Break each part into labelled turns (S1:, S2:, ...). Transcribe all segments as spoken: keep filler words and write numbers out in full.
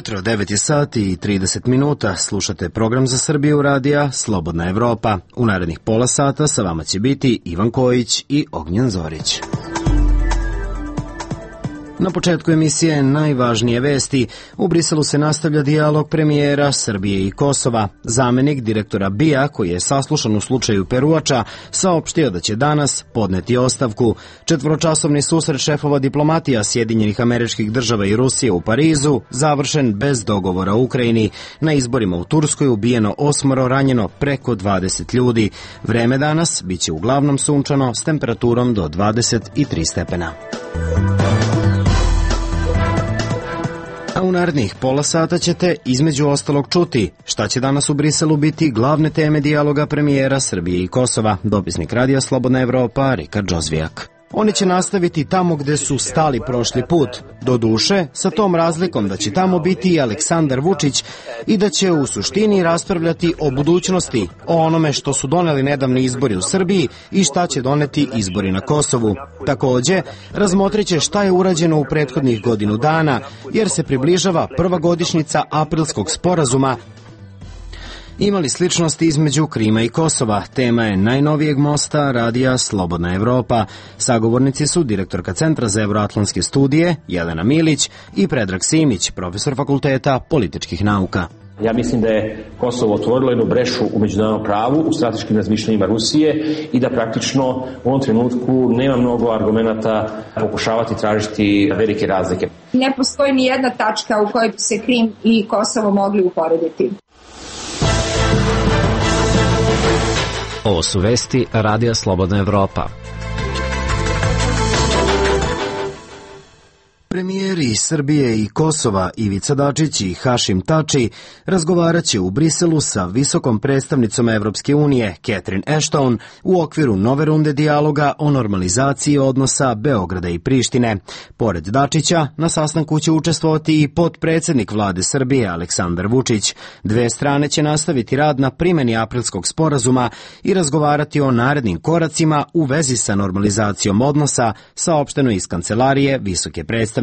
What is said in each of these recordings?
S1: jutro, devet je sati i trideset minuta. Slušate program za Srbiju radija Slobodna Evropa. U narednih pola sata sa vama će biti Ivan Kojić i Ognjen Zorić. Na početku emisije najvažnije vesti. U Briselu se nastavlja dijalog premijera Srbije i Kosova. Zamenik direktora B I A, koji je saslušan u slučaju Peruača, saopštio da će danas podneti ostavku. Četvoročasovni susret šefova diplomatija Sjedinjenih Američkih Država i Rusije u Parizu završen bez dogovora u Ukrajini. Na izborima u Turskoj ubijeno osmoro, ranjeno preko dvadeset ljudi. Vreme danas biće uglavnom sunčano s temperaturom do dvadeset tri stepena. A u narednih pola sata ćete između ostalog čuti šta će danas u Briselu biti glavne teme dijaloga premijera Srbije i Kosova. Dopisnik radija Slobodna Evropa Rika Džozvijak. Oni će nastaviti tamo gde su stali prošli put. Do duše, sa tom razlikom da će tamo biti i Aleksandar Vučić i da će u suštini raspravljati o budućnosti, o onome što su doneli nedavni izbori u Srbiji i šta će doneti izbori na Kosovu. Takođe, razmotrit će šta je urađeno u prethodnih godinu dana, jer se približava prva godišnjica Aprilskog sporazuma. Imali sličnosti između Krima i Kosova. Tema je najnovijeg mosta radija Slobodna Evropa. Sagovornici su direktorka Centra za evroatlantske studije Jelena Milić i Predrag Simić, profesor Fakulteta političkih nauka.
S2: Ja mislim da je Kosovo otvorilo jednu brešu u međunarodnom pravu, u strateškim razmišljanjima Rusije i da praktično u ovom trenutku nema mnogo argumenata pokušavati tražiti velike razlike.
S3: Ne postoji ni jedna tačka u kojoj bi se Krim i Kosovo mogli uporediti.
S4: Ovo su vesti radija Slobodna Evropa.
S1: Premijeri Srbije i Kosova Ivica Dačić i Hašim Tači razgovarat će u Briselu sa visokom predstavnicom Evropske unije Catherine Ashton u okviru nove runde dijaloga o normalizaciji odnosa Beograda i Prištine. Pored Dačića, na sastanku će učestvovati i potpredsednik vlade Srbije Aleksandar Vučić. Dve strane će nastaviti rad na primjeni Aprilskog sporazuma i razgovarati o narednim koracima u vezi sa normalizacijom odnosa, saopšteno iz kancelarije visoke predstavnice.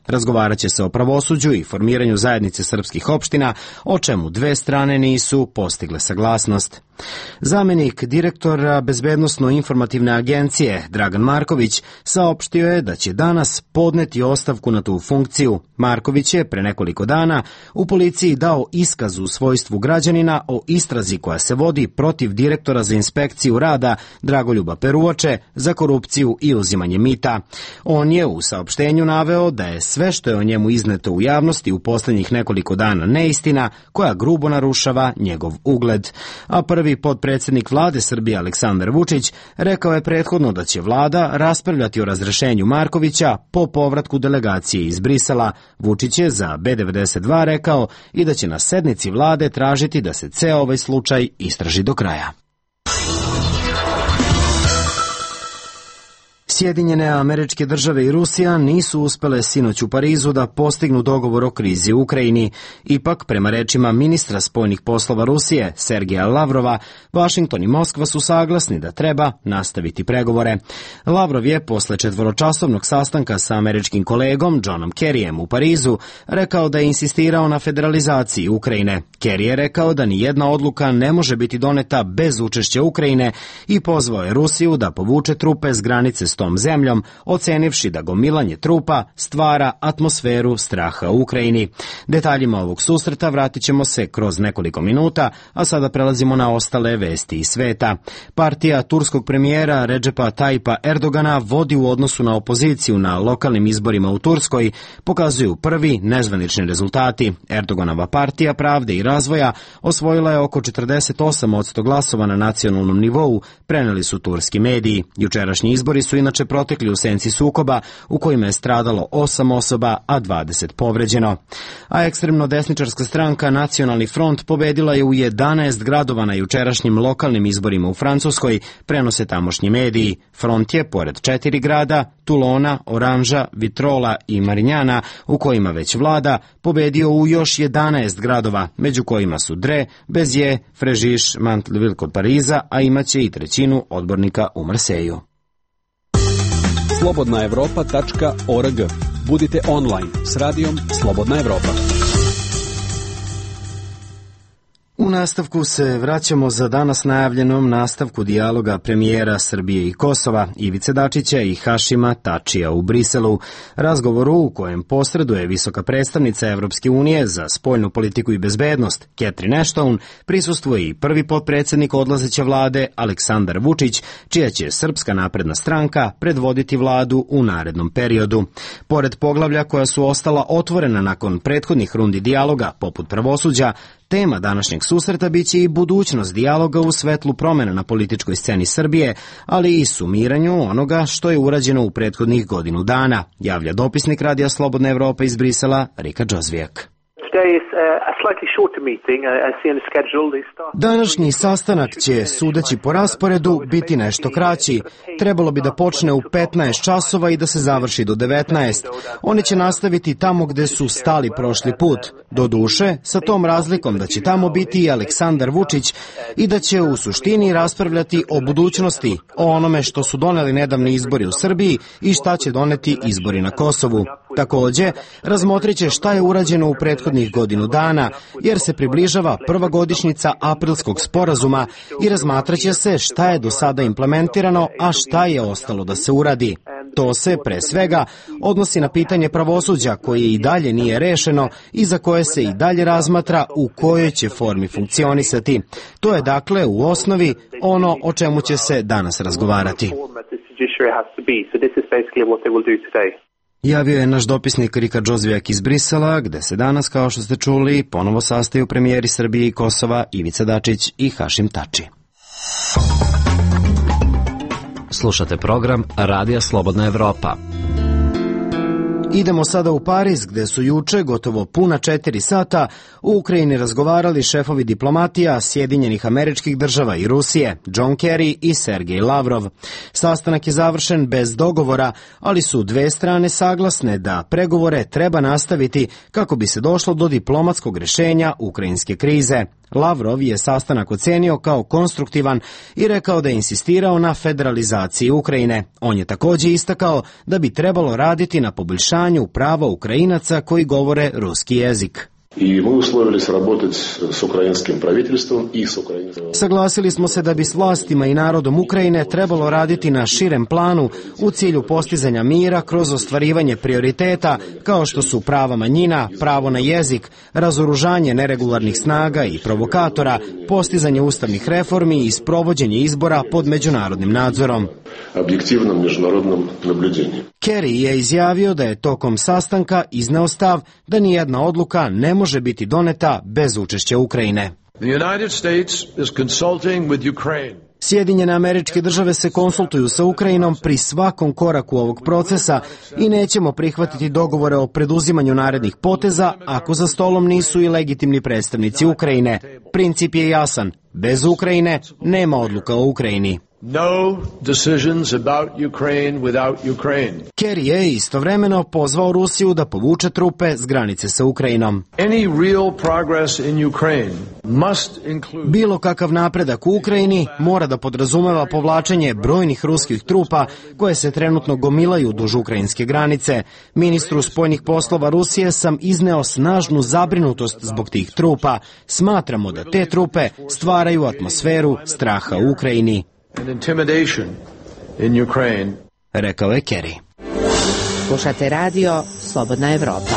S1: Razgovarat će se o pravosuđu i formiranju zajednice srpskih opština, o čemu dve strane nisu postigle saglasnost. Zamenik direktora Bezbednosno-informativne agencije Dragan Marković saopštio je da će danas podneti ostavku na tu funkciju. Marković je pre nekoliko dana u policiji dao iskaz u svojstvu građanina o istrazi koja se vodi protiv direktora za inspekciju rada Dragoljuba Peruače za korupciju i uzimanje mita. On je u saopštenju naveo da je sve što je o njemu izneto u javnosti u poslednjih nekoliko dana neistina koja grubo narušava njegov ugled. A prvi potpredsednik vlade Srbije Aleksandar Vučić rekao je prethodno da će vlada raspravljati o razrešenju Markovića po povratku delegacije iz Brisela. Vučić je za B devedeset dva rekao i da će na sednici vlade tražiti da se ceo ovaj slučaj istraži do kraja. Sjedinjene Američke Države i Rusija nisu uspele sinoć u Parizu da postignu dogovor o krizi u Ukrajini. Ipak, prema rečima ministra spoljnih poslova Rusije, Sergeja Lavrova, Vašington i Moskva su saglasni da treba nastaviti pregovore. Lavrov je posle četvoročasovnog sastanka sa američkim kolegom Johnom Kerryjem u Parizu rekao da je insistirao na federalizaciji Ukrajine. Kerry je rekao da ni jedna odluka ne može biti doneta bez učešća Ukrajine i pozvao je Rusiju da povuče trupe s granice s tom zemljom, ocenivši da gomilanje trupa stvara atmosferu straha u Ukrajini. Detaljima ovog susreta vratit ćemo se kroz nekoliko minuta, a sada prelazimo na ostale vesti iz sveta. Partija turskog premijera Redžepa Tajipa Erdogana vodi u odnosu na opoziciju na lokalnim izborima u Turskoj, pokazuju prvi nezvanični rezultati. Erdoganova partija Pravde i razvoja osvojila je oko četrdeset osam posto glasova na nacionalnom nivou, preneli su turski mediji. Jučerašnji izbori su inače protekli u senci sukoba u kojima je stradalo osam osoba, a dvadeset povređeno. A ekstremno desničarska stranka Nacionalni front pobedila je u jedanaest gradova na jučerašnjim lokalnim izborima u Francuskoj, prenose tamošnji mediji. Front je, pored četiri grada, Tulona, Oranža, Vitrola i Marinjana, u kojima već vlada, pobedio u još jedanaest gradova, među kojima su Dre, Bezije, Frežiš, Mantleville kod Pariza, a imaće i trećinu odbornika u Marseju.
S5: slobodna evropa tačka org. Budite online s radijom Slobodna Evropa.
S1: U nastavku se vraćamo za danas najavljenom nastavku dijaloga premijera Srbije i Kosova, Ivice Dačića i Hašima Tačija u Briselu, razgovoru u kojem posreduje visoka predstavnica Evropske unije za spoljnu politiku i bezbednost, Catherine Ashton, prisustvuje i prvi potpredsednik odlazeće vlade, Aleksandar Vučić, čija će Srpska napredna stranka predvoditi vladu u narednom periodu. Pored poglavlja koja su ostala otvorena nakon prethodnih rundi dijaloga, poput pravosuđa, tema današnjeg susreta biće i budućnost dijaloga u svetlu promena na političkoj sceni Srbije, ali i sumiranju onoga što je urađeno u prethodnih godinu dana, javlja dopisnik Radija Slobodna Evropa iz Brisela, Rika Džozvijak. Današnji sastanak će, sudeći po rasporedu, biti nešto kraći. Trebalo bi da počne u petnaest časova i da se završi do devetnaest. Oni će nastaviti tamo gde su stali prošli put. Doduše, sa tom razlikom da će tamo biti i Aleksandar Vučić i da će u suštini raspravljati o budućnosti, o onome što su doneli nedavni izbori u Srbiji i šta će doneti izbori na Kosovu. Takođe, razmotrit će šta je urađeno u prethodnih godinu dana, jer se približava prva godišnjica Aprilskog sporazuma i razmatraće se šta je do sada implementirano, a šta je ostalo da se uradi. To se, pre svega, odnosi na pitanje pravosuđa koje i dalje nije rešeno i za koje se i dalje razmatra u kojoj će formi funkcionisati. To je dakle u osnovi ono o čemu će se danas razgovarati. Javio je naš dopisnik Rika Džozvijak iz Brisela, gde se danas, kao što ste čuli, ponovo sastaju premijeri Srbije i Kosova Ivica Dačić i Hašim Tači.
S4: Slušate program Radija Slobodna Evropa.
S1: Idemo sada u Pariz, gde su juče, gotovo puna četiri sata, u Ukrajini razgovarali šefovi diplomatija Sjedinjenih Američkih Država i Rusije, John Kerry i Sergej Lavrov. Sastanak je završen bez dogovora, ali su dve strane saglasne da pregovore treba nastaviti kako bi se došlo do diplomatskog rešenja ukrajinske krize. Lavrov je sastanak ocenio kao konstruktivan i rekao da je insistirao na federalizaciji Ukrajine. On je takođe istakao da bi trebalo raditi na poboljšanju prava Ukrajinaca koji govore ruski jezik.
S5: I mi uslovili se работать s ukrajinskim правительством i s ukrajinskim...
S1: Saglasili smo se da bi s vlastima i narodom Ukrajine trebalo raditi na širem planu u cilju postizanja mira kroz ostvarivanje prioriteta kao što su prava manjina, pravo na jezik, razoružanje neregularnih snaga i provokatora, postizanje ustavnih reformi i sprovođenje izbora pod međunarodnim nadzorom.
S5: Objektivnom međunarodnom nabljuđenju.
S1: Kerry je izjavio da je tokom sastanka izneo stav da nijedna odluka ne može biti doneta bez učešća Ukrajine.
S6: The United States is consulting with Ukraine.
S1: Sjedinjene Američke Države se konsultuju sa Ukrajinom pri svakom koraku ovog procesa i nećemo prihvatiti dogovore o preduzimanju narednih poteza ako za stolom nisu i legitimni predstavnici Ukrajine. Princip je jasan. Bez Ukrajine nema odluka o Ukrajini.
S6: No decisions about Ukraine without Ukraine.
S1: Kerry je istovremeno pozvao Rusiju da povuče trupe s granice sa Ukrajinom.
S6: Any real progress in Ukraine must include...
S1: Bilo kakav napredak u Ukrajini mora da podrazumeva povlačenje brojnih ruskih trupa koje se trenutno gomilaju duž ukrajinske granice. Ministru spoljnih poslova Rusije sam izneo snažnu zabrinutost zbog tih trupa. Smatramo da te trupe stvaraju atmosferu straha u Ukrajini.
S6: And intimidation in Ukraine.
S1: Rekao je Kerry.
S7: Slušate radio Slobodna Evropa.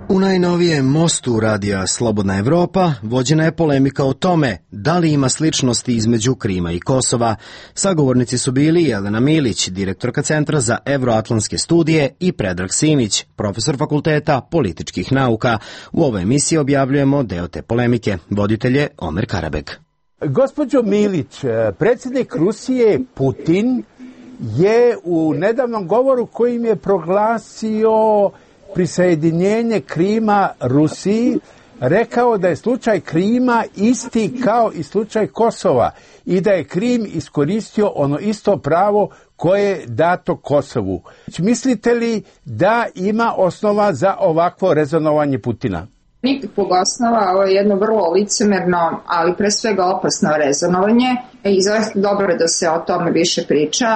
S1: U najnovijem mostu radija Slobodna Evropa vođena je polemika o tome da li ima sličnosti između Krima i Kosova. Sagovornici su bili Jelena Milić, direktorka Centra za evroatlantske studije, i Predrag Simić, profesor Fakulteta političkih nauka. U ovoj emisiji objavljujemo deo te polemike. Voditelj je Omer Karabeg.
S8: Gospođo Milić, predsjednik Rusije Putin je u nedavnom govoru kojim je proglasio prisajedinjenje Krima Rusiji rekao da je slučaj Krima isti kao i slučaj Kosova i da je Krim iskoristio ono isto pravo koje je dato Kosovu. Mislite li da ima osnova za ovakvo rezonovanje Putina?
S3: Nikakvog osnova, ovo je jedno vrlo licemerno, ali pre svega opasno rezonovanje. I zaista dobro da se o tome više priča.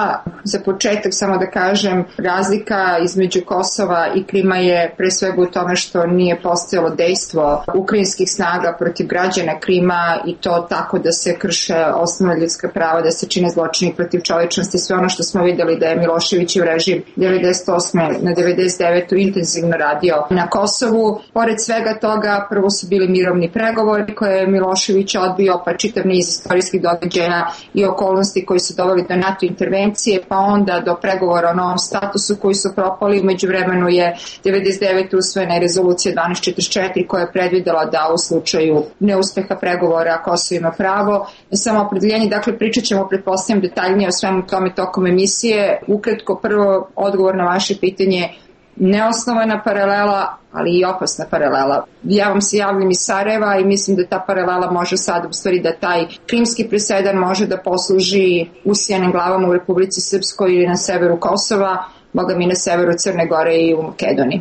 S3: Za početak samo da kažem, razlika između Kosova i Krima je pre svega u tome što nije postojalo dejstvo ukrajinskih snaga protiv građana Krima i to tako da se krše osnovna ljudska prava, da se čine zločini protiv čovečnosti, sve ono što smo videli da je Miloševićev režim devedeset osme na devedeset devete intenzivno radio na Kosovu. Pored svega toga, prvo su bili mirovni pregovori koje je Milošević odbio, pa čitav niz istorijskih događaja i okolnosti koji su doveli do NATO intervencije, pa onda do pregovora o novom statusu koji su propali. Umeđu vremenu je devedeset devete usvojena rezolucija dvanaest četrdeset četiri koja je predvidela da u slučaju neuspeha pregovora Kosovo ima pravo na samoopredeljenje. Dakle, pričat ćemo, pretpostavljam, detaljnije o svemu tome tokom emisije. Ukratko, prvo odgovor na vaše pitanje, neosnovana paralela, ali i opasna paralela. Ja vam se javljam iz Sarajeva i mislim da ta paralela može sad, u stvari da taj krimski presedan može da posluži usijanim glavama u Republici Srpskoj ili na severu Kosova, boga mi na severu Crne Gore i u Makedoniji.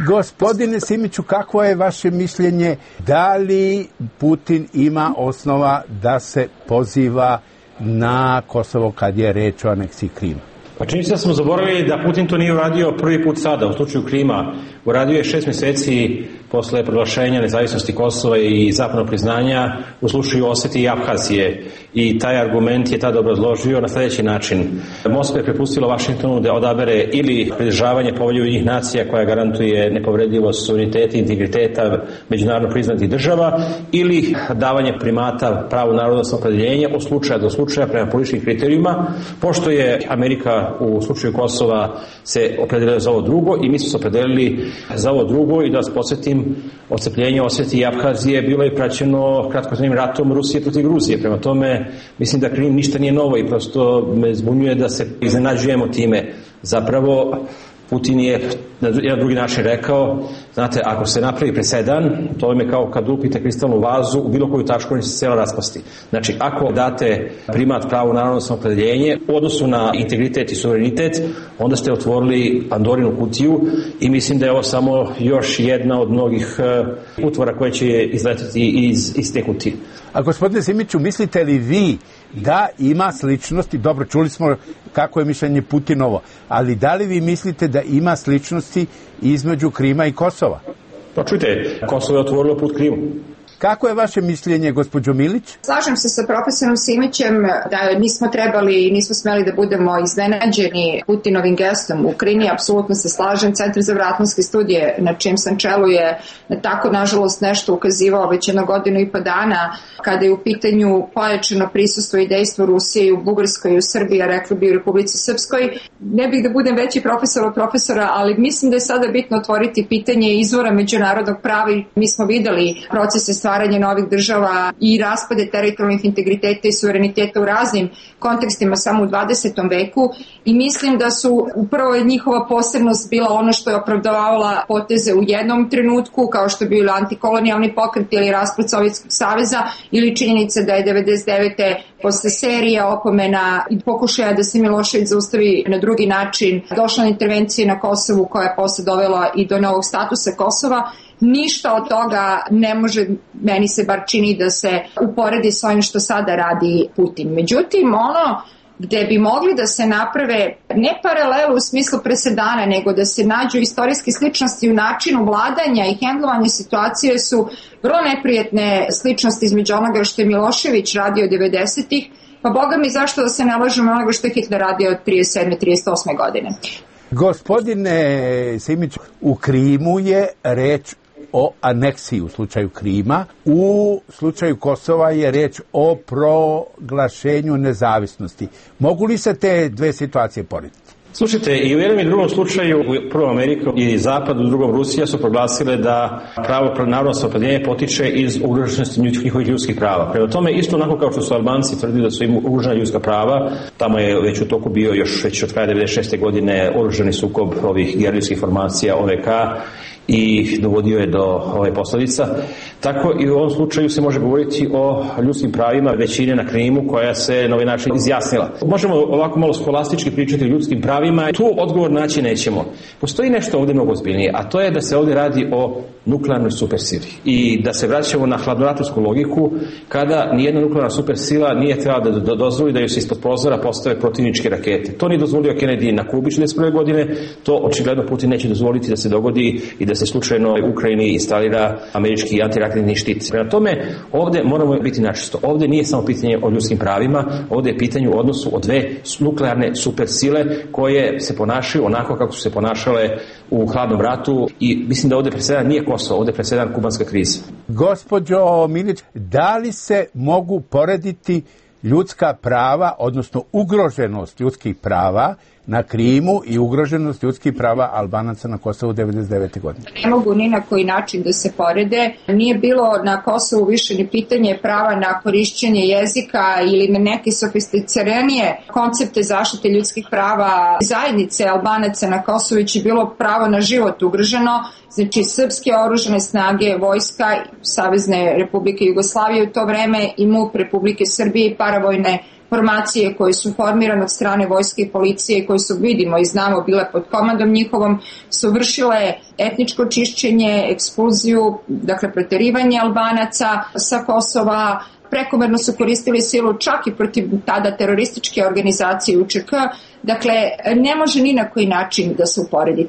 S8: Gospodine Simiću, kako je vaše mišljenje, da li Putin ima osnova da se poziva na Kosovo kad je reč o aneksiji Krima?
S2: Pa čini se da smo zaboravili da Putin to nije uradio prvi put sada, u slučaju Krima. Uradio je šest meseci posle proglašenja nezavisnosti Kosova i zapadnog priznanja u slučaju Osetije i Aphazije. I taj argument je tada obrazložio na sljedeći način. Moskva je prepustila Vašingtonu da odabere ili pridržavanje Povelje Ujedinjenih nacija koja garantuje nepovredivost suvereniteta i integriteta međunarodno priznatih država, ili davanje primata pravu narodnog samoopredjeljenja od slučaja do slučaja prema političkim kriterijima, pošto je Amerika u slučaju Kosova se opredelila za ovo drugo i mi smo se opredelili za ovo drugo. I da vas podsjetim, odcepljenje Osetije i Aphazije bilo je praćeno kratkotrajnim ratom Rusije protiv Gruzije. Prema tome, mislim da Krim ništa nije novo i prosto me zbunjuje da se iznenađujemo time. Zapravo, Putin je na jedan drugi način rekao, znate, ako se napravi presedan, to je kao kad lupite kristalnu vazu u bilo koju tačku, ona će se cijela raspasti. Znači, ako date primat pravo narodno samoopredjeljenje u odnosu na integritet i suverenitet, onda ste otvorili Pandorinu kutiju i mislim da je ovo samo još jedna od mnogih utvora koje će izletiti iz, iz te kutije.
S8: A gospodine Simiću, mislite li vi da ima sličnosti, dobro, čuli smo kako je mišljenje Putinovo, ali da li vi mislite da ima sličnosti između Krima i Kosova?
S2: Pa čujte, Kosovo je otvorilo put Krimu.
S8: Kako je vaše mišljenje, gospođo Milić?
S3: Slažem se sa profesorom Simićem da nismo trebali i nismo smeli da budemo iznenađeni Putinovim gestom u Krimi. Apsolutno se slažem. Centar za vratlanske studije na čijem sam čelu je na tako, nažalost, nešto ukazivao već jedno godinu i po dana kada je u pitanju pojačano prisustvo i dejstvo Rusije u Bugarskoj i u Srbiji, a rekli bi u Republici Srpskoj. Ne bih da budem veći profesor od profesora, ali mislim da je sada bitno otvoriti pitanje izvora međunarodnog prava i mi smo videli procese stvaranje novih država i raspade teritorijalnih integriteta i suvereniteta u raznim kontekstima samo u dvadesetom veku i mislim da su upravo njihova posebnost bila ono što je opravdavala poteze u jednom trenutku, kao što je bio antikolonijalni pokret ili raspad Sovjetskog saveza, ili činjenica da je devedeset devete posle serije opomena i pokušaja da se Milošević zaustavi na drugi način došla intervencija na Kosovu koja je posle dovela i do novog statusa Kosova. Ništa od toga ne može, meni se bar čini, da se uporedi s ovim što sada radi Putin. Međutim, ono gde bi mogli da se naprave ne paralelu u smislu presedana, nego da se nađu istorijske sličnosti u načinu vladanja i hendlovanja situacije su vrlo neprijatne sličnosti između onoga što je Milošević radio devedesetih, pa boga mi zašto da se ne lažemo onoga što je Hitler radio od trideset sedme trideset osme godine.
S8: Gospodine Simić, u Krimu je reč o aneksiji u slučaju Krima, u slučaju Kosova je reč o proglašenju nezavisnosti. Mogu li se te dve situacije porediti?
S2: Slušajte, i u jednom i drugom slučaju, u prvom Amerika i Zapad, u drugom Rusija su proglasile da pravo narodno samoopredjeljenje potiče iz ugroženosti njihovih ljudskih prava. Prema tome, isto onako kao što su Albanci tvrdili da su im ugrožena ljudska prava, tamo je već u toku bio još već od kraja devedeset šeste godine oružani sukob ovih gerilskih formacija O V K i dovodio je do ove posljedica. Tako i u ovom slučaju se može govoriti o ljudskim pravima većine na Krimu koja se na ovaj način izjasnila. Možemo ovako malo skolastički pričati o ljudskim pravima, tu odgovor naći nećemo. Postoji nešto ovdje mnogo ozbiljnije, a to je da se ovdje radi o nuklearnoj supersili i da se vraćamo na hladnoratovsku logiku kada nijedna nuklearna supersila nije trebala da dozvoli da joj se ispod prozora postave protivničke rakete. To nije dozvolio Kennedy na Kubi četrdeset prve godine, to očigledno Putin neće dozvoliti da se dogodi i da se slučajno u Ukrajini instalira američki antiraketni štit. Prema tome, ovdje moramo biti načisto. Ovdje nije samo pitanje o ljudskim pravima, ovdje je pitanje u odnosu o dve nuklearne supersile koje se ponašaju onako kako su se ponašale u hladnom ratu i mislim da ovdje presedan nije Kosovo, ovdje presedan kubanska kriza.
S8: Gospođo Milić, da li se mogu porediti ljudska prava, odnosno ugroženost ljudskih prava na Krimu i ugroženost ljudskih prava Albanaca na Kosovu devedeset devete godine?
S3: Ne mogu ni na koji način da se porede. Nije bilo na Kosovu više ni pitanje prava na korišćenje jezika ili na neke sofisticiranije koncepte zaštite ljudskih prava zajednice Albanaca na Kosovu, već je bilo pravo na život ugroženo. Znači, srpske oružane snage, vojska Savezne Republike Jugoslavije u to vreme i MUP Republike Srbije i paravojne formacije koje su formirane od strane vojske i policije, koje su, vidimo i znamo, bile pod komandom njihovom, su vršile etničko čišćenje, ekspulziju, dakle proterivanje Albanaca sa Kosova, prekomerno su koristili silu čak i protiv tada terorističke organizacije U Č K. Dakle, ne može ni na koji način da se uporedi.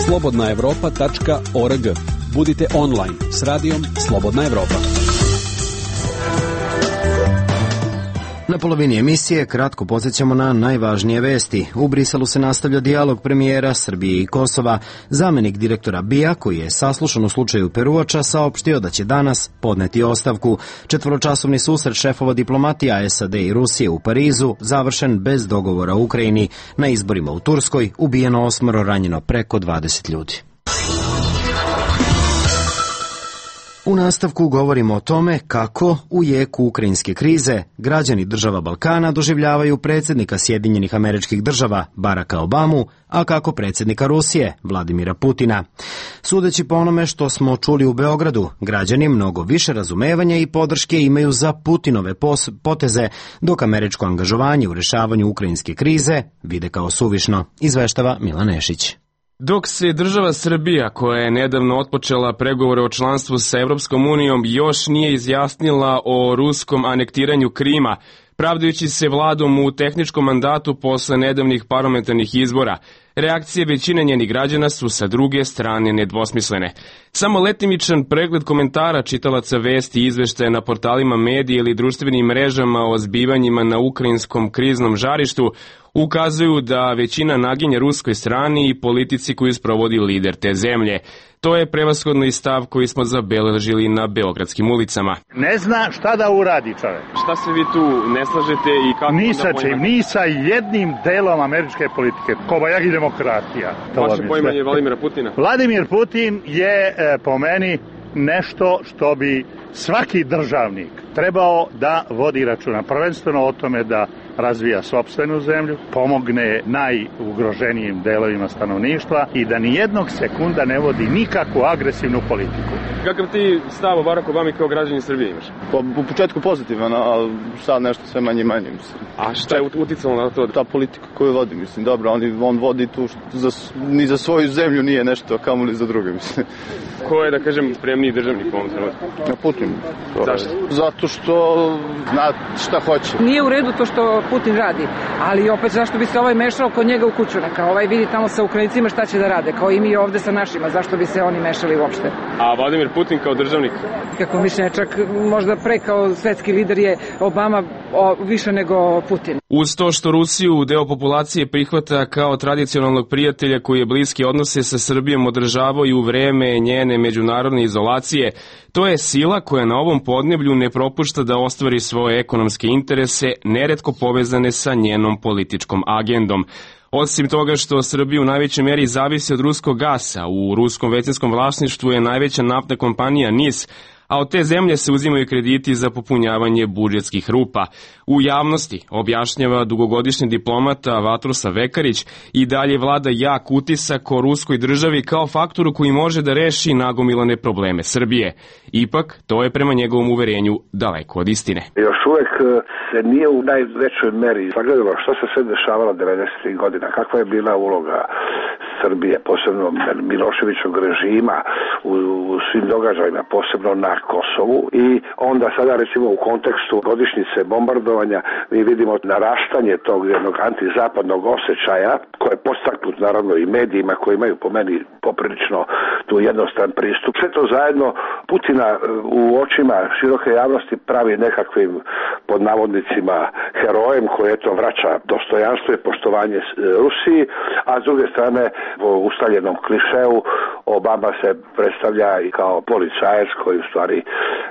S9: slobodna evropa tačka org. Budite online s radijom Slobodna Evropa.
S1: Na polovini emisije kratko podsjećamo na najvažnije vesti. U Briselu se nastavlja dijalog premijera Srbije i Kosova. Zamenik direktora B I A, koji je saslušan u slučaju Peruača, saopštio da će danas podneti ostavku. Četvoročasovni susret šefova diplomatija S A D i Rusije u Parizu završen bez dogovora u Ukrajini. Na izborima u Turskoj ubijeno osmoro, ranjeno preko dvadeset ljudi. U nastavku govorimo o tome kako u jeku ukrajinske krize građani država Balkana doživljavaju predsjednika Sjedinjenih Američkih Država Baracka Obamu, a kako predsjednika Rusije Vladimira Putina. Sudeći po onome što smo čuli u Beogradu, građani mnogo više razumevanja i podrške imaju za Putinove poteze, dok američko angažovanje u rešavanju ukrajinske krize vide kao suvišno, izveštava Milan Nešić.
S10: Dok se država Srbija, koja je nedavno otpočela pregovore o članstvu sa Evropskom unijom, još nije izjasnila o ruskom anektiranju Krima, pravdajući se vladom u tehničkom mandatu posle nedavnih parlamentarnih izbora, reakcije većine njenih građana su sa druge strane nedvosmislene. Samo letimičan pregled komentara čitalaca vesti i izveštaja na portalima medija ili društvenim mrežama o zbivanjima na ukrajinskom kriznom žarištu ukazuju da većina naginja ruskoj strani i politici koju sprovodi lider te zemlje. To je prevashodno i stav koji smo zabeležili na beogradskim ulicama.
S11: Ne zna šta da uradi čovjek.
S10: Šta se vi tu ne slažete i kako...
S11: Ni sa čim, ni sa jednim delom američke politike. Kobajag i demokratija.
S10: Vaše poimanje Vladimira Putina?
S11: Vladimir Putin je e, po meni nešto što bi svaki državnik trebao da vodi računa. Prvenstveno o tome da razvija sopstvenu zemlju, pomogne najugroženijim delovima stanovništva i da nijednog sekunda ne vodi nikakvu agresivnu politiku.
S10: Kakav ti stav o Baracku Obami kao građanin Srbije imaš?
S12: Po, u početku pozitivan, ali sad nešto sve manje i manje, mislim.
S10: A šta je uticalo na to?
S12: Ta politika koju vodi, mislim, dobro, on, on vodi tu što za, ni za svoju zemlju nije nešto, kamo li za druge, mislim.
S10: Ko je, da kažem, spremniji državnik u ovom trenutku?
S12: Na Putin.
S10: Zašto?
S12: Zato što zna šta hoće.
S13: Nije u redu to što Putin radi, ali opet zašto bi se ovaj mešao kod njega u kuću, neka ovaj vidi tamo sa Ukrajincima šta će da rade, kao i mi ovde sa našima, zašto bi se oni mešali uopšte.
S10: A Vladimir Putin kao državnik?
S13: Kako mišljenje, čak možda pre kao svetski lider je Obama o, više nego Putin.
S10: Uz to što Rusiju deo populacije prihvata kao tradicionalnog prijatelja koji je bliski odnose sa Srbijom održavao i u vreme njene međunarodne izolacije, to je sila koja na ovom podneblju ne propušta da ostvari svoje ekonomske interese, neretko povezane sa njenom političkom agendom. Osim toga što Srbija u najvećoj meri zavisi od ruskog gasa, u ruskom većinskom vlasništvu je najveća naftna kompanija N I S, a od te zemlje se uzimaju krediti za popunjavanje budžetskih rupa. U javnosti, objašnjava dugogodišnji diplomata Vatroslav Vekarić, i dalje vlada jak utisak o ruskoj državi kao faktoru koji može da reši nagomilane probleme Srbije. Ipak, to je prema njegovom uverenju daleko od istine.
S14: Još uvek se nije u najvećoj meri sagledalo što se sve dešavalo devedesetih godina, kakva je bila uloga Srbije, posebno Miloševićog režima u, u svim događajima, posebno na Kosovu, i onda sada recimo u kontekstu godišnjice bombardovanja mi vidimo narastanje tog jednog antizapadnog osjećaja koje je podstaknut naravno i medijima koji imaju po meni poprilično tu jednostran pristup. Sve to zajedno Putina u očima široke javnosti pravi nekakvim pod navodnicima herojem koji eto vraća dostojanstvo i poštovanje Rusiji, a s druge strane po ustaljenom klišeu Obama se predstavlja i kao policajac koji u stvari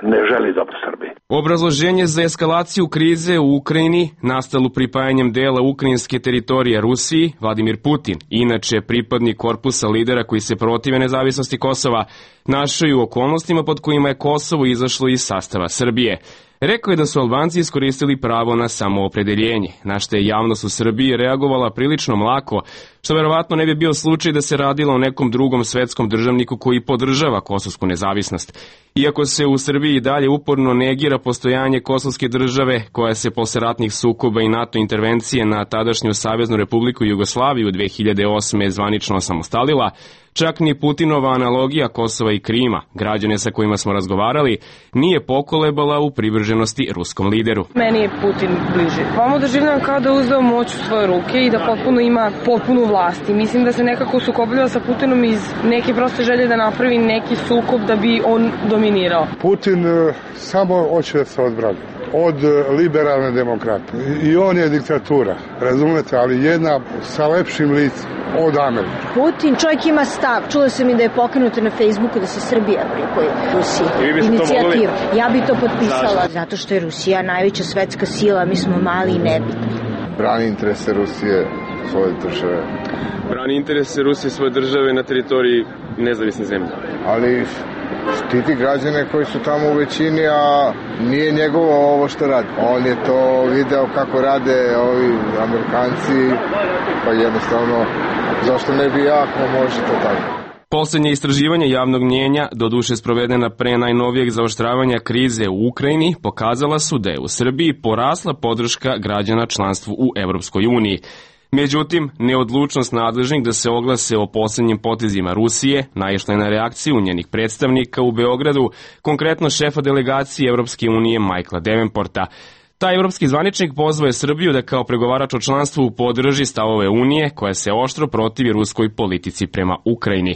S14: ne želi dobro Srbiji.
S10: Obrazloženje za eskalaciju krize u Ukrajini, nastalu pripajanjem dela ukrajinske teritorije Rusiji, Vladimir Putin, inače pripadnik korpusa lidera koji se protive nezavisnosti Kosova, našao je u okolnostima pod kojima je Kosovo izašlo iz sastava Srbije. Rekao je da su Albanci iskoristili pravo na samoopredeljenje, na što je javnost u Srbiji reagovala prilično mlako, što verovatno ne bi bio slučaj da se radilo o nekom drugom svetskom državniku koji podržava kosovsku nezavisnost. Iako se u Srbiji dalje uporno negira postojanje kosovske države, koja se posle ratnih sukoba i NATO intervencije na tadašnju Saveznu Republiku Jugoslaviju dve hiljade osme zvanično osamostalila, čak ni Putinova analogija Kosova i Krima, građane sa kojima smo razgovarali, nije pokolebala u privrženosti ruskom lideru.
S15: Meni je Putin bliži. Vamo doživljavam kao da uzeo moć u svoje ruke i da potpuno ima potpunu vlast. I mislim da se nekako sukobljava sa Putinom iz neke proste želje da napravi neki sukob da bi on dominirao.
S16: Putin uh, samo hoće da se odbrani od liberalne demokrate. I on je diktatura, razumete, ali jedna sa lepšim licem od Amerike.
S17: Putin, čovjek ima stav. Čula sam i da je pokrenuto na Facebooku da se Srbija pripoji Rusiji. Inicijativa. Ja bi to potpisala. Zato što je Rusija najveća svetska sila, mi smo mali i nebitni.
S16: Brani interese Rusije, svoje države.
S10: Brani interese Rusije, svoje države na teritoriji nezavisne zemlje.
S16: Ali štiti građane koji su tamo u većini, a nije njegovo ovo što radi. On je to video kako rade ovi Amerikanci, pa jednostavno, zašto ne bi ja, ako može to tako.
S10: Poslednje istraživanje javnog mnjenja, doduše sprovedena pre najnovijeg zaoštravanja krize u Ukrajini, pokazala su da je u Srbiji porasla podrška građana članstvu u Evropskoj uniji. Međutim, neodlučnost nadležnih da se oglase o poslednjim potezima Rusije naišla je na reakciju njenih predstavnika u Beogradu, konkretno šefa delegacije Evropske unije Michaela Davenporta. Taj evropski zvaničnik pozvao je Srbiju da kao pregovarač o članstvu podrži stavove Unije koja se oštro protivi ruskoj politici prema Ukrajini.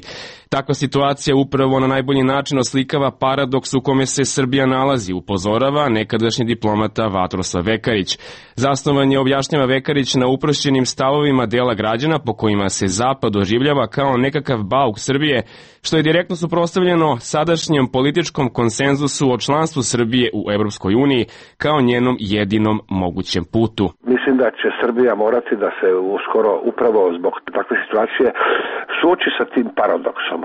S10: Takva situacija upravo na najbolji način oslikava paradoks u kome se Srbija nalazi, upozorava nekadašnji diplomata Vatroslav Vekarić. Zasnovan je, objašnjava Vekarić, na uprošćenim stavovima dela građana po kojima se Zapad doživljava kao nekakav bauk Srbije, što je direktno suprotstavljeno sadašnjem političkom konsenzusu o članstvu Srbije u Evropskoj uniji kao njenom jedinom mogućem putu.
S14: Mislim da će Srbija morati da se uskoro upravo zbog takve situacije suoči sa tim paradoksom.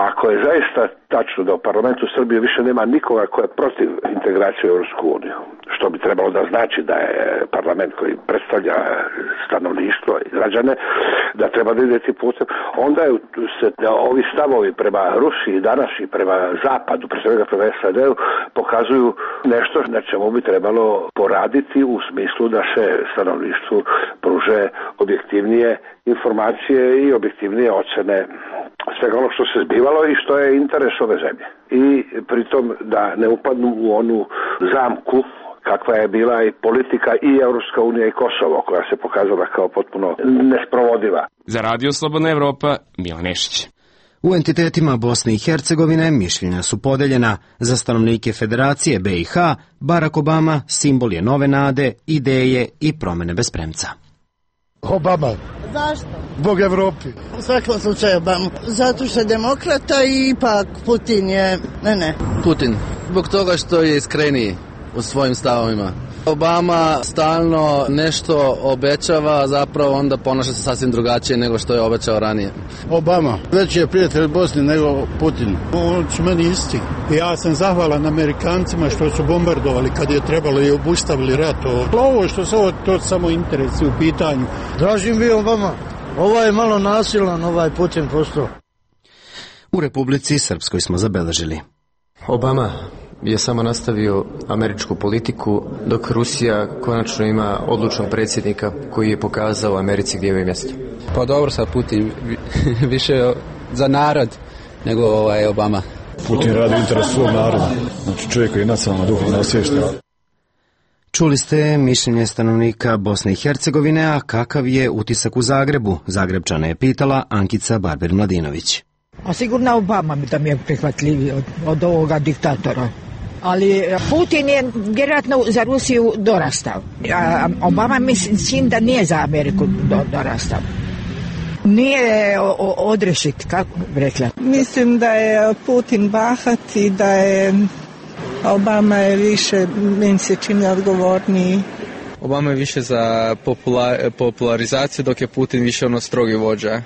S14: Ako je zaista tačno da u parlamentu Srbije više nema nikoga ko je protiv integracije u Evropsku uniju, što bi trebalo da znači da je parlament koji predstavlja stanovništvo i građane, da treba da ide tim putem, onda je se ovi stavovi prema Rusiji danas i prema Zapadu, pre svega prema S A D-u, pokazuju nešto na čemu bi trebalo poraditi u smislu da se stanovništvu pruže objektivnije informacije i objektivnije ocene svega ono što se zbivalo i što je interes ove zemlje. I pritom da ne upadnu u onu zamku kakva je bila i politika i Evropska unija i Kosovo, koja se pokazala kao potpuno nesprovodiva.
S10: Za Radio Slobodna Evropa, Milan Nešić.
S1: U entitetima Bosne i Hercegovine mišljenja su podeljena. Za stanovnike Federacije B i H, Barack Obama simbol je nove nade, ideje i promene bez premca.
S18: Obama.
S19: Zašto?
S18: Zbog Evropi.
S19: U svakom slučaju Obama. Zato što je demokrata i ipak Putin je... Ne, ne.
S20: Putin. Zbog toga što je iskreniji u svojim stavovima. Obama stalno nešto obećava, zapravo onda ponaša se sasvim drugačije nego što je obećao ranije.
S18: Obama, veći je prijatelj Bosne nego Putin. On su meni isti. Ja sam zahvalan Amerikancima što su bombardovali kad je trebalo i obustavili rat. Ovo što se ovo, to samo interesi u pitanju.
S21: Dražim vi Obama. Ovo je malo nasilan, ovaj Putin postao.
S1: U Republici Srpskoj smo zabeležili.
S22: Obama je samo nastavio američku politiku, dok Rusija konačno ima odlučnog predsjednika koji je pokazao Americi gdje je mjesto.
S9: Pa dobro, sad Putin više za narod nego ovaj Obama.
S23: Putin radi interes svog naroda, znači čovjek koji je nacionalno duhovno osviješten.
S1: Čuli ste mišljenje stanovnika Bosne i Hercegovine, a kakav je utisak u Zagrebu? Zagrebčana je pitala Ankica Barber-Mladinović.
S24: A sigurno Obama da mi je prihvatljiviji od, od ovoga diktatora. Ali Putin je vjerojatno za Rusiju dorastao. A Obama mislim da nije za Ameriku do, dorastao. Nije odrešit, kako bi rekla.
S25: Mislim da je Putin bahat i da je Obama je više, meni se čini, odgovorniji.
S26: Obama je više za popular, popularizaciju, dok je Putin više ono strogi vođa,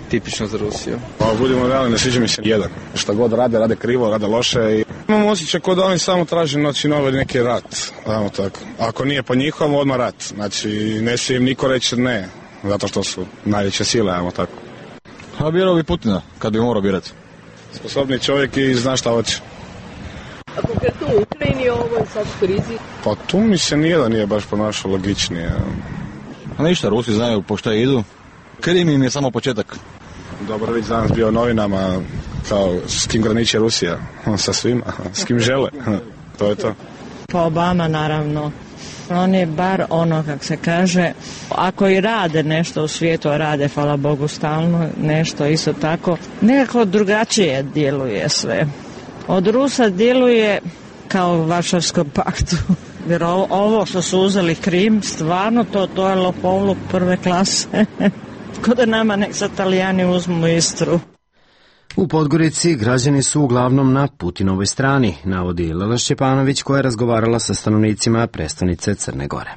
S26: tipično za Rusiju.
S27: Pa budemo realni, ne sviđa mi se jedan. Šta god rade, rade krivo, rade loše. I... Imam osjećaj kod da oni samo traže znači, novi neki rat. Ajmo tako. Ako nije po njihovom, odmah rat. Znači, ne će im niko reći ne, zato što su najveće sile, ajmo tako.
S23: A birao bi Putina, kad bi morao birati.
S27: Sposobni čovjek i zna šta hoće.
S28: A konkretno u Ukrajini ovo je sad krizi?
S27: Pa tu mi se nijedan nije baš ponašao logičnije.
S23: A ništa, Rusi znaju po šta idu. Krim im je samo početak.
S27: Dobro, već danas bio u novinama kao s kim graniče Rusija. Sa svima, s kim žele. To je to.
S25: Pa Obama naravno. On je bar ono, kako se kaže, ako i rade nešto u svijetu, a rade, hvala Bogu, stalno nešto isto tako, nekako drugačije djeluje sve. Od Rusa djeluje kao u Varšavskom paktu. Jer ovo što su uzeli Krim, stvarno to, to je lopovluk prve klase. Ko da nama nek sa Talijani uzmu Istru.
S1: U Podgorici građani su uglavnom na Putinovoj strani, navodi Lela Šćepanović koja je razgovarala sa stanovnicima prestonice Crne Gore.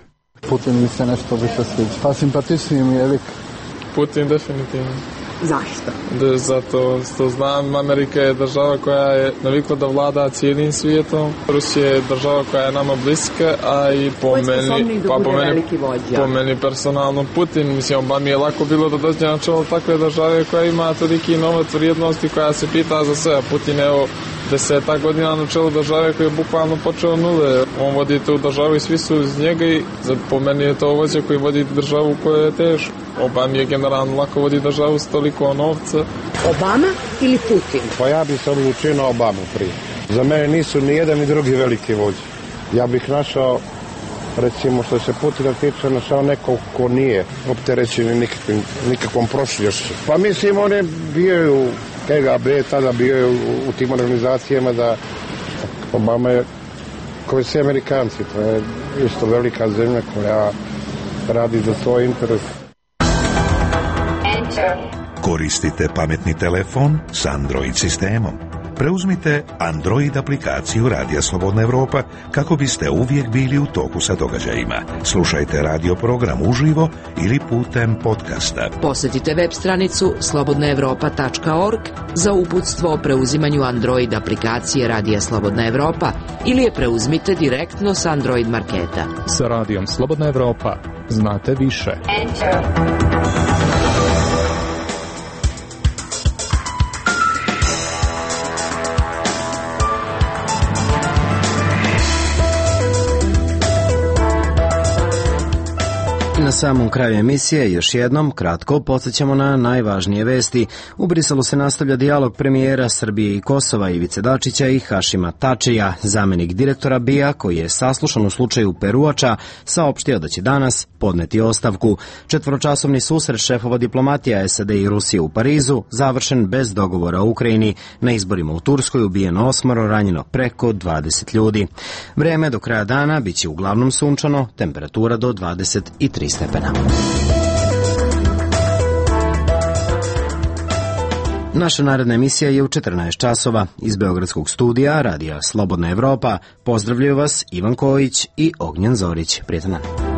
S29: Putin mi se nešto više sviđa. Pa simpatičniji mi je lik.
S30: Putin definitivno.
S28: Zašto?
S30: Da, zato što znam, Amerika je država koja je navikla da vlada cijelim svijetom. Rusija je država koja je nama bliska, a i po meni,
S28: pa
S30: po meni, po meni personalno Putin. Mislim, ba mi je lako bilo da dođe na čelo takve države koja ima toliki novac vrijednosti, koja se pita za sve. Putin je evo deseta godina na čelu države koji je bukvalno počeo nule. On vodi tu državu i svi su iz njega i po meni je to vođa koji vodi državu koja je teško. Obama je generalno lako vodi državu s toliko novca.
S28: Obama ili Putin?
S31: Pa ja bih se odlučio na Obamu prije. Za mene nisu ni jedan ni drugi veliki vođe. Ja bih našao, recimo što se Putina tiče, našao nekog ko nije opterećen nikakvim, nikakvom prošljošću. Pa mislim, on je bio u K G B, tada bio je u, u tim organizacijama da Obama je koji su Amerikanci. To je isto velika zemlja koja radi za svoj interes. Koristite pametni telefon s Android sistemom. Preuzmite Android aplikaciju Radija Slobodna Evropa kako biste uvijek bili u toku sa događajima. Slušajte radio program uživo ili putem podcasta.
S7: Posjetite web stranicu slobodna evropa tačka org za uputstvo o preuzimanju Android aplikacije Radija Slobodna Evropa ili je preuzmite direktno s Android marketa.
S32: Sa Radijom Slobodna Evropa znate više. Enter.
S1: Na samom kraju emisije još jednom kratko podsjećamo na najvažnije vesti. U Briselu se nastavlja dijalog premijera Srbije i Kosova Ivice Dačića i Hašima Tačija. Zamenik direktora B I A koji je saslušan u slučaju Peruača saopštio da će danas podneti ostavku. Četvoročasovni susret šefova diplomatija S A D i Rusije u Parizu završen bez dogovora u Ukrajini. Na izborima u Turskoj ubijeno osmoro, ranjeno preko dvadeset ljudi. Vreme do kraja dana biće uglavnom sunčano, temperatura do dvadeset tri stepena. Naša naredna emisija je u četrnaest časova. Iz Beogradskog studija Radija Slobodna Evropa pozdravljaju vas Ivan Kojić i Ognjen Zorić. Prijetan dan.